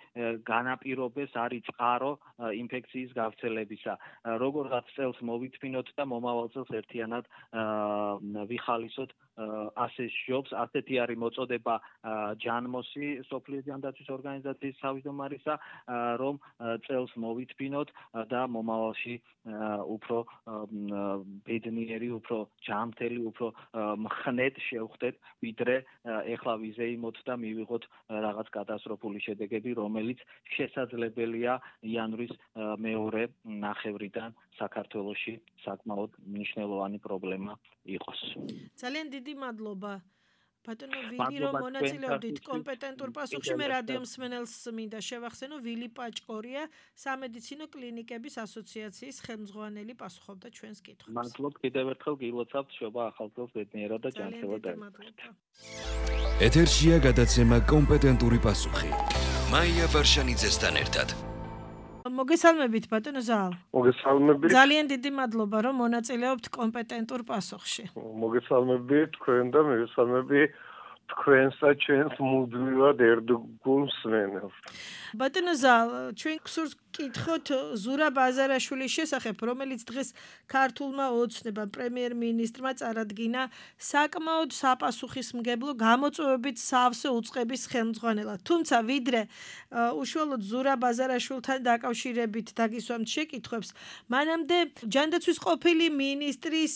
განაპირობებს არის წყარო ინფექციის გავრცელებისა. როგორღაც წელს მოვითმინოთ და მომავალ წელს ერთიანად ვიხალისოთ ასე სჯობს, ასეთი არის მოწოდება ჯანმოსი სოფლიო ჯანდაცვის ორგანიზაციის თავმჯდომარისა, რომ წელს მოვითბინოთ და მომავალში უფრო ბედნიერი, უფრო ჯანმრთელი, უფრო მხნედ შევხვდეთ, ვიდრე ეხლა ვიზეიმოთ და მივიღოთ რაღაც კატასტროფული შედეგები, რომელიც შესაძლებელია იანვრის მეორე ნახევრიდან საქართველოში საკმაოდ მნიშვნელოვანი პრობლემა იყოს. ძალიან დიდი მადლობა. ბატონო ვილი, რომ მონაწილეობდით კომპეტენტურ პასუხში, მე რადიო მსმენელს მინდა შევახსენო, ვილი პაჭკორია, სამედიცინო კლინიკების ასოციაციის ხელმძღვანელი პასუხობდა ჩვენს კითხვებს. მადლობ კიდევ ერთხელ გილოცავთ შობა ახალ წელს ბედნიერად და ჯანმრთელად დაიმკვიდრეთ. ეთერშია გადაცემა კომპეტენტური პასუხი. მაია ვარშანიძესთან ერთად. მოგესალმებით ბატონო ზალ. მოგესალმებით. ძალიან დიდი მადლობა რომ მონაწილეობთ კომპეტენტურ პასუხში. მოგესალმებით თქვენ და მოგესალმები თქვენს და ჩვენს მუდმივად ერთგულ მსმენელს. ბატონო ზალ, ჩვენ გსურს კითხოთ ზურაბ აზარაშვილის შესახებ, რომელიც დღეს ქართულმა ოცნებამ პრემიერ-მინისტრმა წარადგინა საკმაოდ საპასუხისმგებლო გამოწვევებით სავსე უწყების ხელმძღვანელად. თუმცა ვიდრე უშუალოდ ზურაბ აზარაშვილთან დაკავშირებით დაგისვამთ შეკითხვებს, მანამდე ჯანდაცვის ყოფილი მინისტრის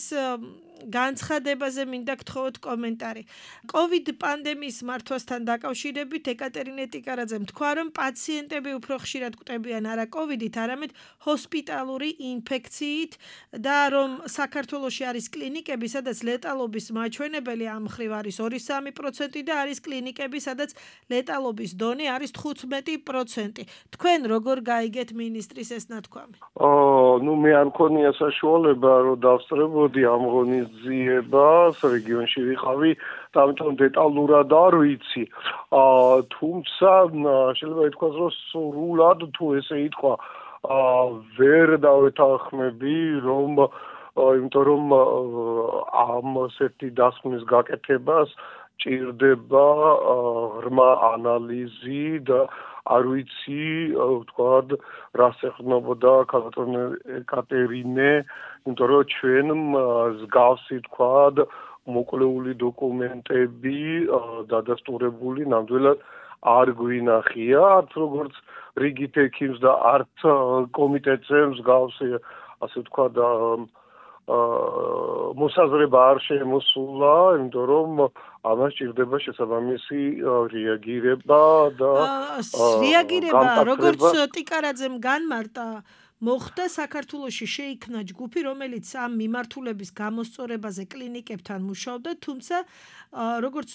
განცხადებაზე მინდა გთხოვოთ კომენტარი. კოვიდ პანდემიის მართვასთან დაკავშირებით ეკატერინე ტიკარაძემ თქვა, რომ პაციენტები უფრო ხშირად კვდებიან არა კოვიდით, არამედ ჰოსპიტალური ინფექციით და რომ საქართველოში არის კლინიკები, სადაც ლეტალობის მაჩვენებელი ამ მხრივ არის ორი სამი პროცენტი და არის კლინიკები, სადაც ლეტალობის დონე არის თხუთმეტი პროცენტი. თქვენ როგორ გაიგეთ მინისტრის ეს ნათქვამი? ო, ნუ მე არ მქონია საშუალება, რომ დავსწრებოდი ამ ღონისძიებას, რეგიონში ვიყავი, და ამიტომ დეტალურად არ ვიცი. თუმცა შეიძლება ითქვას, რომ სრულად თუ ესე ითქვა, ვერ დავეთანხმები, რომ იმიტომ რომ ამ ასეთი დასკვნის გაკეთებას ჭირდება ღრმა ანალიზი და არ ვიცი, ვთქვათ, რას ეყრდნობოდა ქალბატონი ეკატერინე, იმიტომ რომ ჩვენ მსგავსი, ვთქვათ, მოკლეული დოკუმენტები დადასტურებული ნამდვილად არ გვინახია, არც როგორც რიგით ექიმს და არც კომიტეტზე მსგავსი, ასე ვთქვათ, მოსაზრება არ შემოსულა, იმიტომ რომ ამას ჭირდება შესაბამისი რეაგირება და რეაგირება, როგორც ტიკარაძემ განმარტა, მოხდა საქართველოში შეიქმნა ჯგუფი, რომელიც ამ მიმართულების გამოსწორებაზე კლინიკებთან მუშაობდა, თუმცა როგორც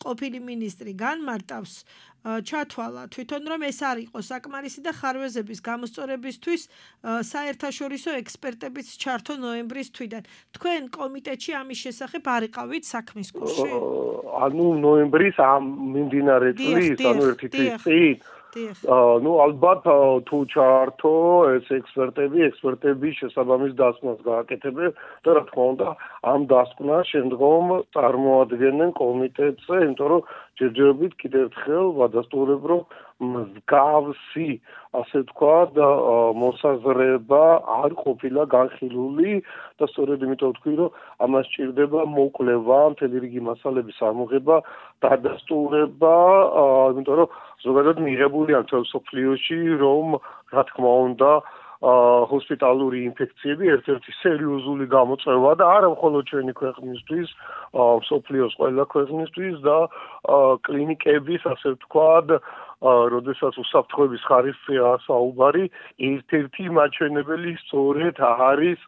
ყოფილი მინისტრი განმარტავს, ჩათვალა თვითონ რომ ეს არ იყო საკმარისი და ხარვეზების გამოსწორებისთვის საერთაშორისო ექსპერტების ჩართო ნოემბრის თვიდან. თქვენ კომიტეტში ამის შესახებ არ იყავით საქმის კურსში? ანუ ნოემბრის ამ მიმდინარე წლის, ანუ ერთი თვის წინ ну ალბათ თუ ჩართო ეს ექსპერტები, ექსპერტები შესაბამის დასკვნას გააკეთებენ და რა თქმა უნდა ამ დასკვნას შემდგომ წარმოადგენენ კომიტეტზე, იმიტომ რომ ჯერჯერობით კიდევ ერთხელ ვადასტურებ, რომ მსგავსი, ასე ვთქვათ, მოსაზრება არ ყოფილა განხილული და სწორედ იმიტომ ვთქვი, რომ ამას ჭირდება მოკვლევა, მთელი რიგი მასალების ამოღება, დადასტურება, იმიტომ რომ ზოგადად მიღებულია მთელ მსოფლიოში, რომ რა თქმა უნდა ჰოსპიტალური ინფექციები ერთ-ერთი სერიოზული გამოწვევა და არა მხოლოდ ჩვენი ქვეყნისთვის, მსოფლიოს ყველა ქვეყნისთვის და კლინიკების, ასე ვთქვათ, როდესაც უსაფრთხოების ხარისხია საუბარი, ერთ-ერთი მაჩვენებელი სწორედ არის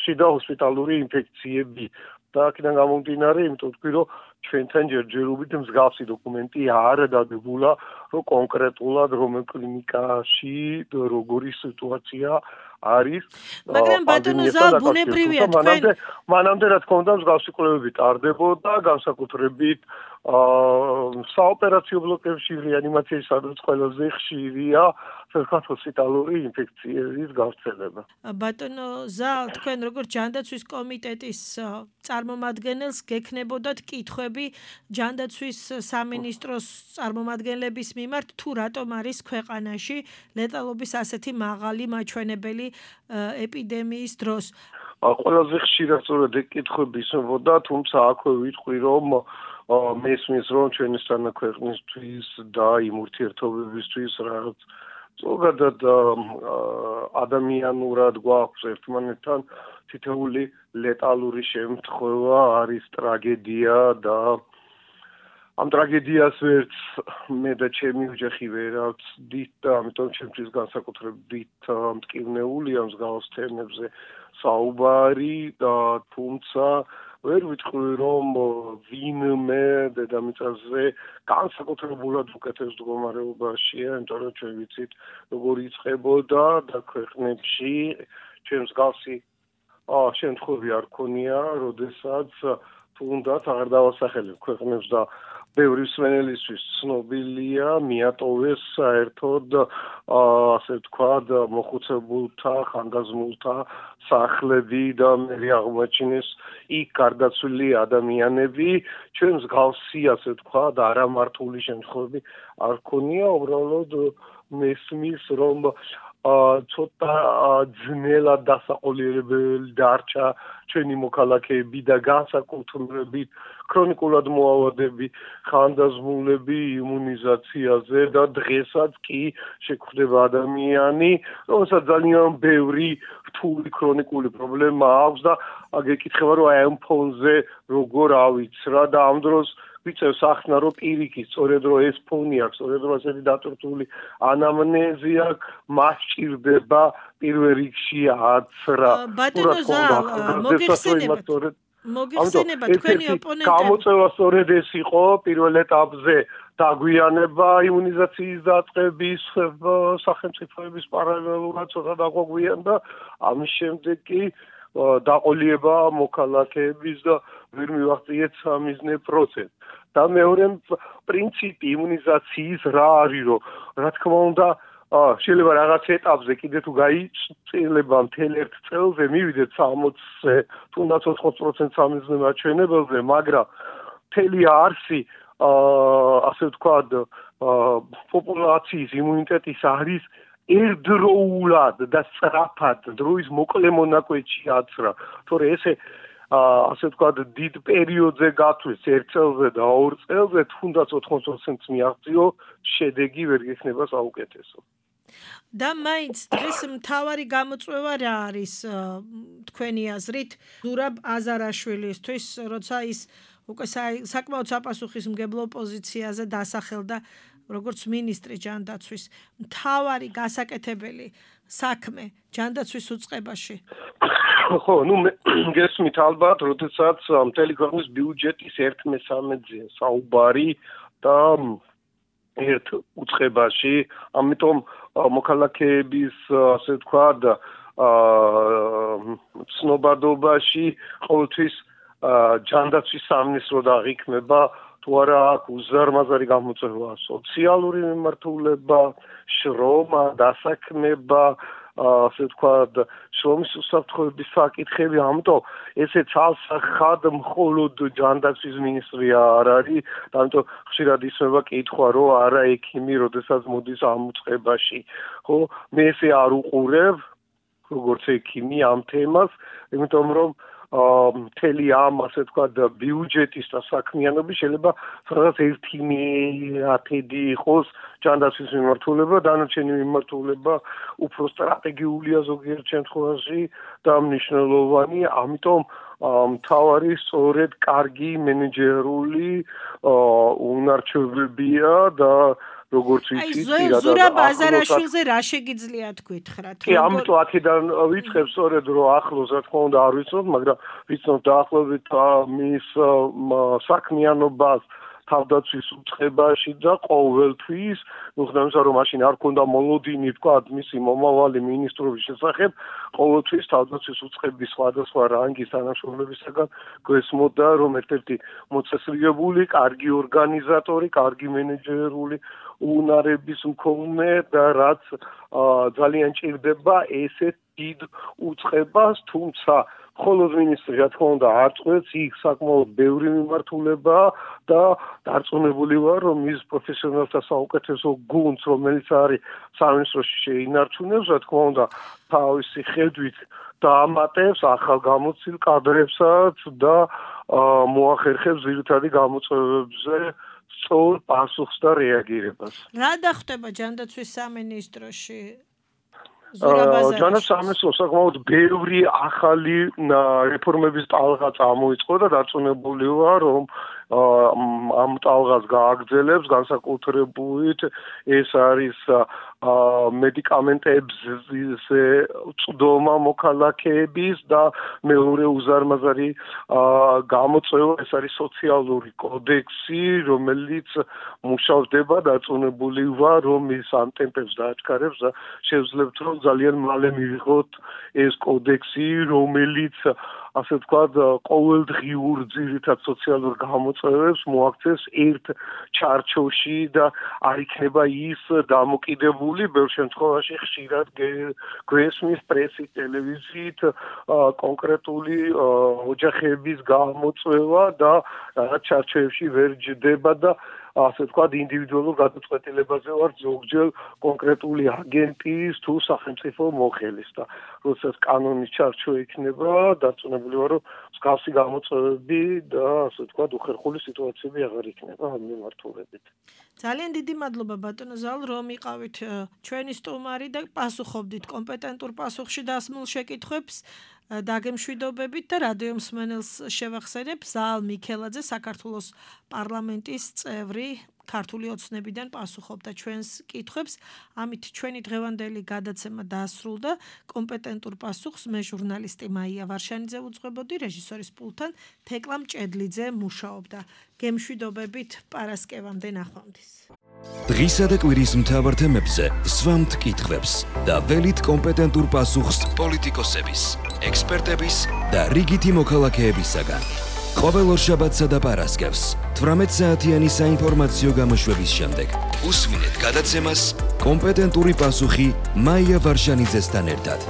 შიდა ჰოსპიტალური ინფექციები. და აქედან გამომდინარე, იმიტომ ვთქვი, რომ ჩვენთან ჯერჯერობით მსგავსი დოკუმენტი არ დაგებულა, რომ კონკრეტულად რომელ კლინიკაში როგორი სიტუაცია არის. მაგრამ ბატონო ზალ ბუნებრივია თქვენ მანამდე რა თქმა უნდა მსგავსი კვლევები ტარდებოდა, განსაკუთრებით საოპერაციო ბლოკებში რეანიმაციის სადაც ყველაზე ხშირია ჰოსპიტალური ინფექციების გავრცელება. ბატონო ზალ, თქვენ როგორც ჯანდაცვის კომიტეტის წარმომადგენელს გექნებოდათ კითხვები ჯანდაცვის სამინისტროს წარმომადგენლების მიმართ, თუ რატომ არის ქვეყანაში ლეტალობის ასეთი მაღალი მაჩვენებელი ეპიდემიის დროს. ყველაზე ხშირად სწორედ ეგ კითხვები ისმებოდა, თუმცა აქვე ვიტყვი, რომ მესმის რომ ჩვენისთანა ქვეყნისთვის და იმ ურთიერთობებისთვის რაც ზოგადად ადამიანურად გვაქვს ერთმანეთთან თითოეული ლეტალური შემთხვევა არის ტრაგედია და ამ ტრაგედიას ვერც მე და ჩემი ოჯახი ვერავწდით და ამიტომ ჩემთვის განსაკუთრებით მტკივნეულია მსგავს თემებზე საუბარი და თუმცა ვერ ვიტყვი რომ ვინმე დედამიწაზე განსაკუთრებულად უკეთეს მდგომარეობაშია, იმიტომ რომ ჩვენ ვიცით როგორ იწყებოდა და ქვეყნებში ჩვენ მსგავსი შემთხვევები არ ქონია, როდესაც თუნდაც აღარ დავასახელებ ქვეყნებს და ბევრი მსმენელისთვის ცნობილია მიატოვეს საერთოდ ასე ვთქვათ მოხუცებულთა, ხანგრძლივულთა სახლები და მე აღმოაჩინეს იქ გარდაცვლილი ადამიანები, ჩვენ მსგავსი ასე ვთქვათ არამართული შემთხვევები არ ქონია, უბრალოდ მესმის რომ ცოტა ძნელად დასაყოლიერებელი დარჩა ჩვენი მოქალაქეები და განსაკუთრებით ქრონიკულად მოავადები, ხანდაზმულები იმუნიზაციაზე და დღესაც კი შეგვხვდება ადამიანი, რომელსაც ძალიან ბევრი რთული ქრონიკული პრობლემა აქვს და გეკითხება რომ აი ამ ფონზე როგორ ავიცრა და ამ დროს ვიცევს ახსნა რომ პირიქით, სწორედ რომ ეს ფონი აქვს, სწორედ რომ ასეთი დატვირთული ანამნეზი აქვს, მას სჭირდება პირველ რიგში აცრა. ბატონო ზალ, მოგეხსენებათ. მოგეხსენებათ თქვენი ოპონენტები. გამოწვევა სწორედ ეს იყო პირველ ეტაპზე დაგვიანება იმუნიზაციის დაწყების სახელმწიფოების პარალელურად ცოტა დაგვაგვიანდა, ამის შემდეგ კი დაყოლიება მოქალაქეების და ვერ მივაღწიეთ სამიზნე პროცესს. და მეორე პრინციპი იმუნიზაციის რა არის, რომ რა თქმა უნდა შეიძლება რაღაც ეტაპზე კიდე თუ გაიწილება მთელ ერთ წელზე მივიდეთ სამოცზე, თუნდაც ოთხმოცი პროცენტს სამიზნე მაჩვენებელზე, მაგრამ მთელი არსი ასე ვთქვათ პოპულაციის იმუნიტეტის არის ერთდროულად და სწრაფად დროის მოკლე მონაკვეთში აცრა, თორე ესე ასე ვთქვათ დიდ პერიოდზე გათვლის ერთ წელზე და ორ წელზე თუნდაც ოთხმოცი პროცენტს მიაღწიო, შედეგი ვერ გექნება საუკეთესო. და მაინც დღეს მთავარი გამოწვევა რა არის თქვენი აზრით ზურაბ აზარაშვილისთვის, როცა ის უკვე საკმაოდ საპასუხისმგებლო პოზიციაზე დასახელდა როგორც მინისტრი ჯანდაცვის, მთავარი გასაკეთებელი საქმე ჯანდაცვის უწყებაში? ხო, ნუ გესმით ალბათ, როდესაც მთელი ქვეყნის ბიუჯეტის ერთ მესამედზე საუბარი და ერთ უწყებაში, ამიტომ მოქალაქეების ასე ვთქვათ ცნობადობაში ყოველთვის ჯანდაცვის სამინისტრო დაღიქმება, თუ არა აქვს უზარმაზარი გამოწვევა სოციალური მიმართულება, შრომა, დასაქმება, ასე ვთქვათ, შრომის უსაფრთხოების საკითხები, ამიტომ ესე ცალსახად მხოლოდ ჯანდაცვის მინისტრია არ არის, ამიტომ ხშირად ისმება კითხვა, რომ არა ექიმი, როდესაც მოდის ამ უწყებაში. ხო, მე ესე არ უყურებ, როგორც ექიმი ამ თემას, იმიტომ რომ მთელი ამ ასე ვთქვათ ბიუჯეტის და საქმიანობის შეიძლება სადღაც ერთი მეათედი იყოს ჯანდაცვის მიმართულება, დანარჩენი მიმართულება უფრო სტრატეგიულია ზოგიერთ შემთხვევაში და მნიშვნელოვანი, ამიტომ მთავარი სწორედ კარგი მენეჯერული უნარჩვებებია და როგორც ვიცით, პირადად ზურაბ აზარაშვილზე რა შეგიძლიათ გითხრათ? კი, ამიტომ აქედან ვიწყებ სწორედ რომ ახლოს რა თქმა უნდა არ ვიცნობ, მაგრამ ვიცნობ დაახლოებით მის საქმიანობას თავდაცვის უწყებაში და ყოველთვის, მიუხედავად რომ მაშინ არ ქონდა მოლოდინი თქვა მისი მომავალი მინისტრობის შესახებ, ყოველთვის თავდაცვის უწყების სხვადასხვა რანგის თანამშრომლებისაგან გვესმოდა რომ ერთ-ერთი მოწესრიგებული, კარგი ორგანიზატორი, კარგი მენეჯერული უნარების მქონე და რაც ძალიან ჭირდება ესეთ დიდ უწყებას, თუმცა ხოლო მინისტრი რა თქმა უნდა არ წყვეტს, იქ საკმაოდ ბევრი მიმართულება და დარწმუნებული ვარ, რომ ის პროფესიონალთა საუკეთესო გუნდს, რომელიც არის სამინისტროში შეინარჩუნებს, რა თქმა უნდა, თავისი ხედვით დაამატებს ახალ გამოცდილ კადრებსაც და მოახერხებს ძირითადი გამოწვევებზე სწორ პასუხს და რეაგირებას. რა დახტება ჯანდაცვის სამინისტროში? ჯანდაცვის სამინისტრო საკმაოდ ბევრი ახალი რეფორმების ტალღა წამოიწყო და დარწმუნებული ვარ, რომ ამ ტალღას გააგრძელებს განსაკუთრებით ეს არის მედიკამენტებზე წვდომა მოქალაქეების და მეორე უზარმაზარი გამოწვევა ეს არის სოციალური კოდექსი, რომელიც მუშავდება დარწმუნებული ვარ, რომ ის ამ ტემპებს დააჩქარებს და შევძლებთ, რომ ძალიან მალე მივიღოთ ეს კოდექსი, რომელიც ასე ვთქვათ, ყოველდღიურ ძირითად სოციალურ გამოწვევებს მოაქცევს ერთ ჩარჩოში და არ იქნება ის დამოკიდებული ბევრ შემთხვევაში ხშირად გვესმის პრესით, ტელევიზიით კონკრეტული ოჯახების გამოწვევა და რაღაც ჩარჩოებში ვერ ჯდება და ასე ვთქვათ, ინდივიდუალურ გადაწყვეტილებაზე ვარ ზოგჯერ კონკრეტული აგენტის თუ სახელმწიფო მოხელის და როდესაც კანონის ჩარჩო იქნება, დარწმუნებული ვარ, რომ მსგავსი გამოწვევები და ასე ვთქვათ, უხერხული სიტუაციები აღარ იქნება ამ მიმართულებით. ძალიან დიდი მადლობა ბატონო ზალ, რომ იყავით ჩვენი სტუმარი და პასუხობდით კომპეტენტურ პასუხში დასმულ შეკითხვებს. დაგემშვიდობებით და რადიო მსმენელს შევახსენებ ზალ მიქელაძე საქართველოს პარლამენტის წევრი ქართული ოცნებიდან პასუხობდა ჩვენს კითხვებს. ამით ჩვენი დღევანდელი გადაცემა დაასრულდა. კომპეტენტურ პასუხს მე ჟურნალისტი მაია ვარშანიძე უძღვებოდი, რეჟისორის პულტთან თეკლა მჭედლიძე მუშაობდა. გემშვიდობებით პარასკევამდე ნახვამდის. დღისა და კვირის მთავარ თემებზე სვამთ კითხვებს და ველით კომპეტენტურ პასუხს პოლიტიკოსების, ექსპერტების და რიგითი მოქალაქეებისაგან. ყოველ ორშაბათსა და პარასკევს თვრამეტ საათიანი საინფორმაციო გამოშვების შემდეგ უსმინეთ გადაცემას კომპეტენტური პასუხი მაია ვარშანიძესთან ერთად.